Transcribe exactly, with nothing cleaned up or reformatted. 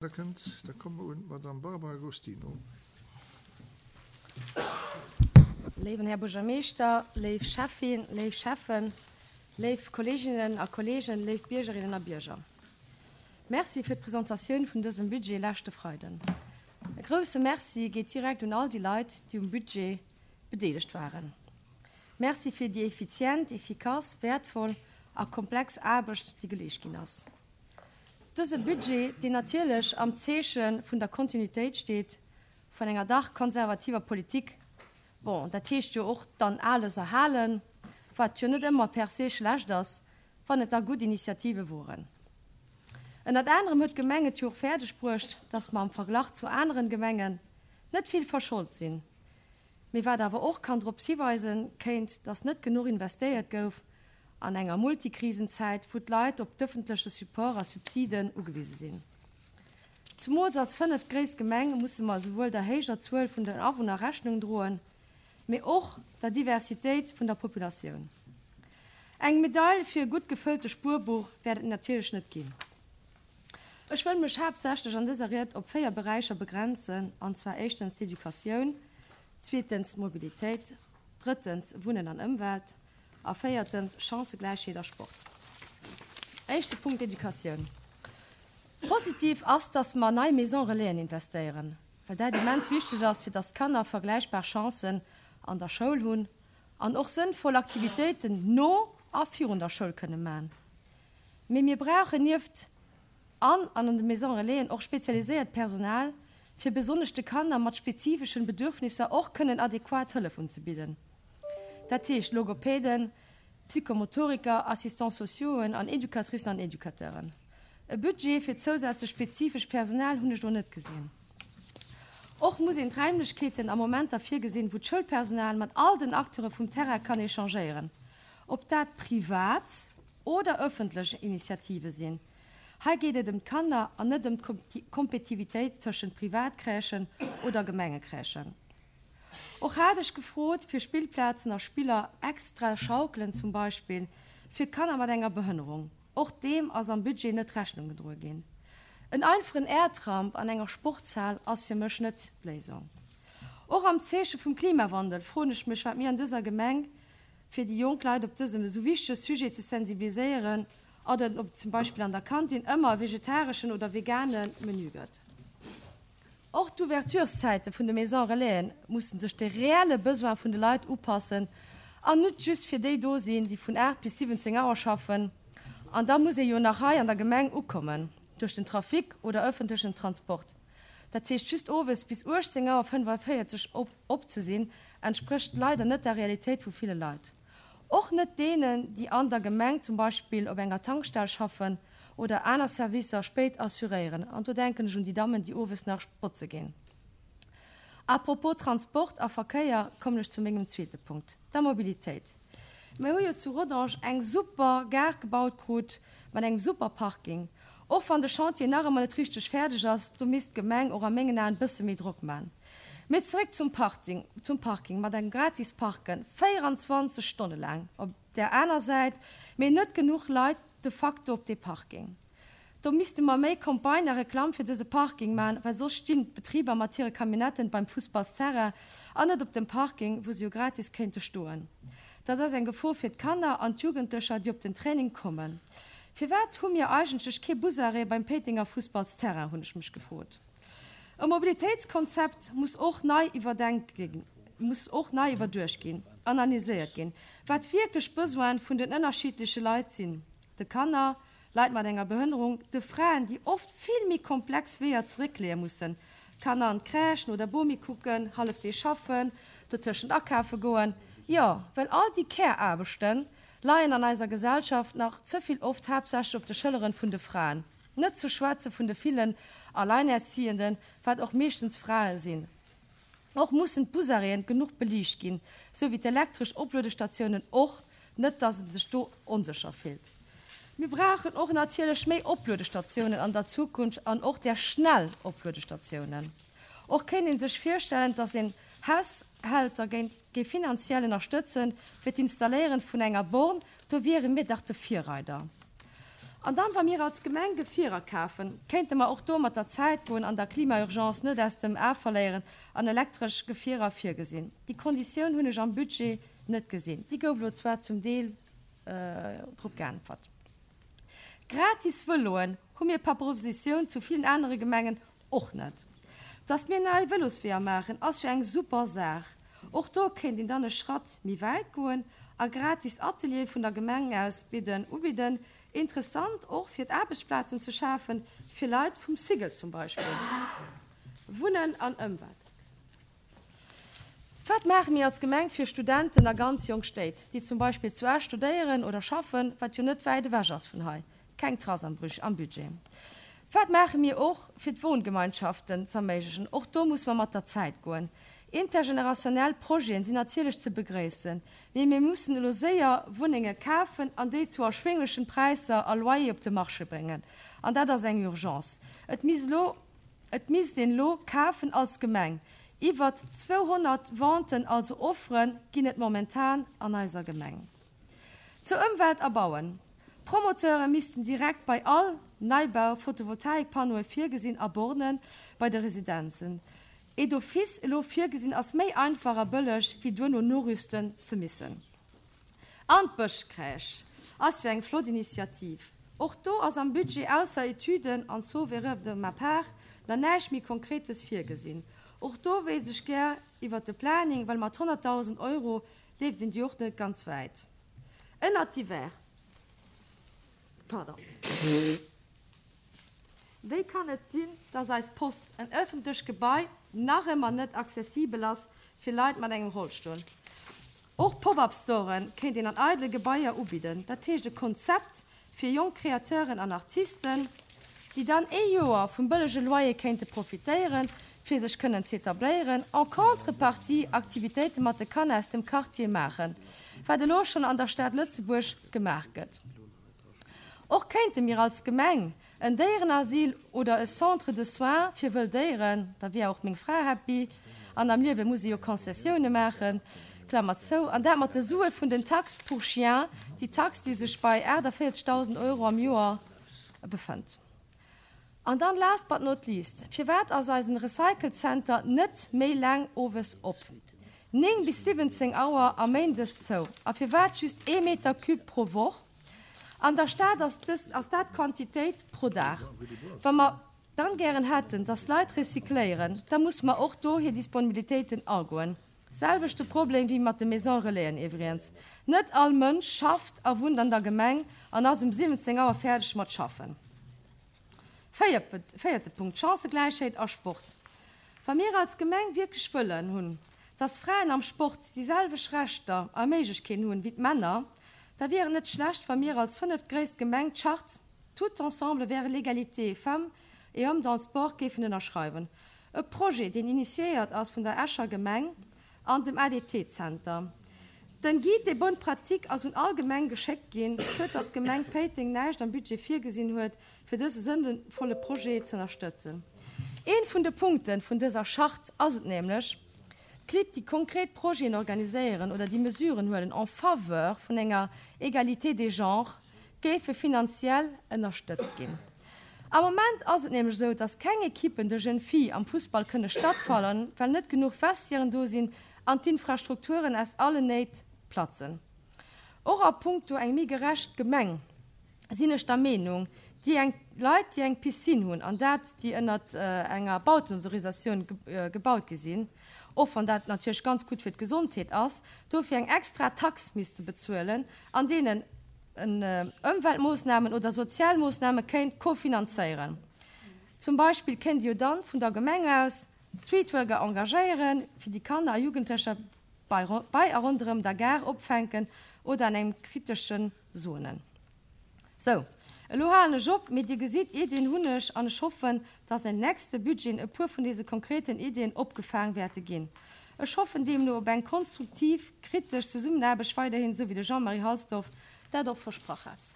Da kënnt, da komme mer un d'Madame Barbara Agostino. Léiwen Här Buergermeeschter, léif Schäffin, léif Schäffen, léif Kolleeginnen a Kolleegen, léif Biergerinnen a Bierger. Merci fir d'Presentatioun vun dësem Budget leschte Freiden. E grousse Merci geet direkt un all déi Leit, déi um Budget bedeelegt waren. Merci fir déi effizient, effikass, wäertvoll a komplex Aarbecht, déi geleescht ginn ass. Dëse Budget, deen natierlech am Zeeche vun der Kontinuitéit steet, vun enger dach konservativer Politik, bon, dat heescht jo och dann Ales erhalen, wat jo net ëmmer per se schlecht ass, wann et da gutt Initiative woren. Ënnert anerem huet d'Gemeng et jo och fäerdeg bruecht, dass mer am Verglach zu aneren Gemengen net vill verscholt sinn, mee wat awer och kann drop hiweisen kéint, dass net genuch investéiert gouf an enger Multikrisenzäit, wou d'Leit op d'ëffentleche Support a Subsiden ugewise sinn. Zumools als fënneftgréisst Gemeng musse mer esouwuel der héijer Zuel vun den Awunner Rechnung droen, mee och der Diversitéit vun der Populatioun. Eng Medail fir e gutt gefëllte Spuerbuch wäert et natierlech net ginn. Ech wëll mech haaptsächlech an dëser Ried op véier Beräicher begrenzen, an zwar éischtens d'Educatioun, zweetens Mobilitéit, drëttens Wunnen an Ëmwelt a véiertens Chancëgläichheet a Sport. Éischte Punkt, Educatioun. Positiv ass, dass mer an nei Maison Relaisen investéieren, well dat immens wichteg ass, fir dass d'Kanner vergläichbar Chancen an der Schoul hunn an och sënnvoll Aktivitéiten no a virun der Schoul kënne man. Mee mir brauchen nieft an an de Maison Relaisen och spezialiséiert Personal, fir besonnesch de Kanner mat spezifeschen Bedürfnisser och kënnen adequat Hëllef unzebidden. Dat heescht Logopäden, Psychomotoriker, Assistants sociauxen an Educatricen an Educateuren. E Budget fir zousätzlech spezifesch Personal hunn ech do net gesinn. Och muss een d'Raimlechkeeten a Momenter virgesinn, wou d'Schoulpersonal mat all den Acteure vum Terrain kann échangéieren, ob dat privat oder ëffentlech Initiative sinn. Hei geet et ëm d'Kanner an net ëm d'Kompetitivitéit tëschent Privatcrèchen oder Gemengecrèchen. Och hat ech gefrot fir Spillplazen a Spiller, extra Schaukelen zum Beispill, fir Kanner mat enger Behënnerung. Och deem ass am Budget net Rechnung gedroe ginn. En einfachen Airtramp an enger Sportshal ass fir mech net d'Léisung. Och am Zeeche vum Klimawandel froen ech mech, wat mir an dëser Gemeng, fir déi jonk Leit op dësem esou wichtege Sujet ze sensibiliséieren, oder ob et zum Beispill an der Kantin ëmmer e vegetareschen oder vegane Menü gëtt. Och d'Ouvertureszäite vun de Maison Relaisen mussen sech de reelle Besoin vun de Leit upassen an net just fir déi do sinn, déi vun aacht bis siwwenzéng Auer schaffen. An da muss ee jo nach hei an der Gemeng ukommen duerch den Trafic oder ëffentlechen Transport. Dat heescht just owes bis uechtzéng Auer fënnefenvéierzeg op ze sinn, entsprécht leider net der Realitéit vu ville Leit. Och net deenen, déi an der Gemeng zum Beispill op enger Tankstell schaffen oder aner Servicer spéit assuréieren, an do denken ech un déi Dammen, déi owes nach botze ginn. A propos Transport a Verkéier kommen ech zu mengem zweete Punkt, der Mobilitéit. Mir hu jo zu Rodange eng super Gare gebaut krut mat engem super Parking. Och wann de Chantier nach ëmmer net richteg fäerdeg ass, do misst d'Gemeng och a mengen Aen e bësse méi Drock man. Mee zeréck zum Parting, zum Parking mat engem gratis Parken véierundzwanzeg Stonne laang op där aner Säit, mee net genuch Leit de facto op dee Parking. Do misste mer méi Campagne a Reklamm fir dëse Parking man, well soss stinn d'Betriber mat hire Camionnetten beim Fussballsterrain an net op dem Parking, wou se jo gratis kéinte stoen. Dat ass eng Gefor fir d'Kanner an d'Jugendlecher, déi op den Training kommen. Firwat hu mir eigentlech kee Busarrêt beim Péitenger Fussballsterrain, hunn ech mech gefrot. E Mobilitéitskonzept muss och nei iwwerdenkt ginn, muss och nei iwwerduecht ginn, analyséiert ginn, wat wierklech d'Besoine vun den ënnerschiddleche Leit sinn, de Kanner, Leit mat enger Behënnerung, de Fraen, déi oft vill méi komplex Weeër zeréckleeë mussen, Kanner an d'Crèche, no der Bomi kucken, hallef Deeg schaffen, dotëschent akafe goen. Jo, well all déi Care-Aarbechte leien an eiser Gesellschaft nach ze vill oft haaptsächlech op de Schëlleren vun de Fraen, net ze schwätze vun de villen Alleinerziehenden, wat och meeschtens Frae sinn. Och mussen d'Busarrêten genuch beliicht ginn, sou wéi d'elektresch Opluedestatiounen och, net dass en sech do onsécher fillt. Mir brauchen och natierlech méi Opluedestatiounen an der Zukunft an och där schnell Opluedestatiounen. Och kéint ee sech virstellen, dass een Haushälter géif finanziell ënnerstëtzen fir d'Installéieren vun enger Born, do wiere mir dach de Virreider. An dann, wa mir als Gemeng Gefierer kafen, kéinte mer och do mat der Zäit goen an der Klimaurgence net aus dem A verléieren an elektresch Gefierer virgesinn. Déi Konditioun hunn ech am Budget net gesinn. Déi gouf elo zwar zum Deel drop geäntwert. Gratis Vëloen hu mir par Oppositioun zu villen anere Gemengen och net. Dass mir nei Vëlosweeër maachen, ass jo eng super Saach. Och do kéint een dann e Schratt méi wäit goen a gratis Ateliere vun der Gemeng aus bidden, ubidden. Interessant och fir d'Aarbechtsplazen ze schafen, fir Leit vum Cigl zum Beispill. Wunnen an Ëmwelt. Wat maache mir als Gemeng fir Studenten a ganz jonk Stéit, déi zum Beispill zu Esch studéieren oder schaffen, wat jo net wäit ewech ass vun hei? Keng Trace am am Budget. Wat maache mir och fir d'Wohngemeinschaften z'erméiglechen? Och do muss mer mat der Zäit goen. Intergenerationell Projeten sinn natierlech ze begréissen, mee mir mussen elo séier Wunnenge kafen an déi zu erschwénglechen Präisser a Loyer op de Marché bréngen. An dat ass eng Urgence. Et misst elo, et misst een elo kafen als Gemeng. Iwwer zweehonnert Venten, also Offere ginn et momentan an eiser Gemeng. Zur Ëmwelt a Bauen, D'Promoteure missten direkt bei all Neibau Photovoltaikpannoe virgesinn a Borne bei de Residenzen. Et d'office elo virgesinn ass méi einfach a bëlleg wéi duerno norüsten ze missen. An d'Bëschcrèche ass jo eng flott Initiativ. Och do ass am Budget ausser Etüden an sauf erreur de ma part nach näischt méi Konkretes virgesinn. Och do wéisst ech gär iwwert de Planning, well mat honnertdausend Euro leeft een déi och net ganz wäit. Ënnert divers. Pardon. Wéi kann et sinn, dass eis Post, en ëffentlecht Gebai, nach ëmmer net accessibel ass fir Leit mat engem Rollstull? Och Pop-up-Storen kéint een an eidele Gebaier ubidden, dat heescht e Konzept fir jonk Kreateuren an Artisten, déi dann ee Joer vum bëllege Loyer kéinte profitéieren, fir sech kënnen z'etabléieren, en contrepartie Aktivitéite mat de Kanner aus dem Quartier maachen, wat elo schonn an der Stad Lëtzebuerg gemaach gëtt. Och kéinte mir als Gemeng en Déierenasyl oder e Centre de soins fir wëll Déieren, da wier och meng Fra happy, an am Liewe muss ee jo Konzessioune maachen, Klammer zou, an dat mat de Sue vun den Taxe pour chiens, déi Tax, déi sech bei aachtavéierzegdausend Euro am Joer befënnt. An dann, last but not least, firwat ass eisen Recycle-Center net méi laang owes op? Néng bis siwwenzéng Auer a méindes zou. A firwat just ee Meter Cube pro Woch? An der Stad ass dës, ass dat d'Quantitéit pro Dag. Wa mer dann gären hätten, dass Leit recycléieren, da musse mer och do hir Disponibilitéiten agoen. Selwechte Problem wéi mat de Maison Relaisen iwwregens. Net all Mënsch schafft a wunnt an der Gemeng an ass um siwwenzéng Auer fäerdeg mat schaffen. Véierte Punkt, Chancëgläichheet a Sport. Wa mir als Gemeng wierklech wëllen hunn, dass Fraen am Sport déi selwecht Rechter a Méiglechkeeten hunn wéi d'Männer, da wier et net schlecht, wa mir als fënneftgréisst Gemeng d'Charte Tout ensemble vers l'égalité femmes et hommes dans le sport géifen ënnerschreiwen. E Projet, deen initiéiert ass vun der Escher Gemeng an dem A D T Zenter. Den Guide des bonnes pratiques ass un all Gemeng geschéckt ginn. Schued, dass d'Gemeng Péiteng näischt am Budget virgesinn huet, fir dëse sënnvolle Projet z'ënnerstëtzen. Een vun de Punkten vun dëser Charte ass et nämlech, Clibb, déi konkret Projeten organiséieren oder déi Mesuren huelen en faveur vun enger Égalité des genres, géife finanziell ënnerstëtzt ginn. Am Moment ass et nämlech esou, dass keng Equippen de jeunes filles am Fussball kënne stattfannen, well net genuch Vestiairen do sinn an d'Infrastrukturen aus allen Néit platzen. Och a punkto eng méi gerecht Gemeng sinn ech der Meenung, déi eng Leit, déi eng Piscine hunn, an dat déi ënnert enger Bautenautorisatioun gebaut gi sinn, och wann dat natierlech ganz gutt fir d'Gesondheet ass, dofir eng extra Tax misste bezuelen an deenen en Ëmweltmoossnamen oder Sozialmoossname kéint kofinanzéieren. Zum Beispill kéint ee jo dann vun der Gemeng aus Streetworker engagéieren, fir déi Kanner a Jugendlecher bei a ronderëm der Gare opfänken oder an engem kritesche Zonen. Sou, elo halen ech op, mee Dir gesitt, Iddien hunn ech an ech hoffen, dass an nächste Budgeten e puer vun deese konkreten Iddien opgefaang wäerte ginn. Ech hoffen deemno op eng konstruktiv, kritesch Zesummenaarbecht weiderhin, sou wéi de Jean-Marie Halsdorf dat och versprach hat.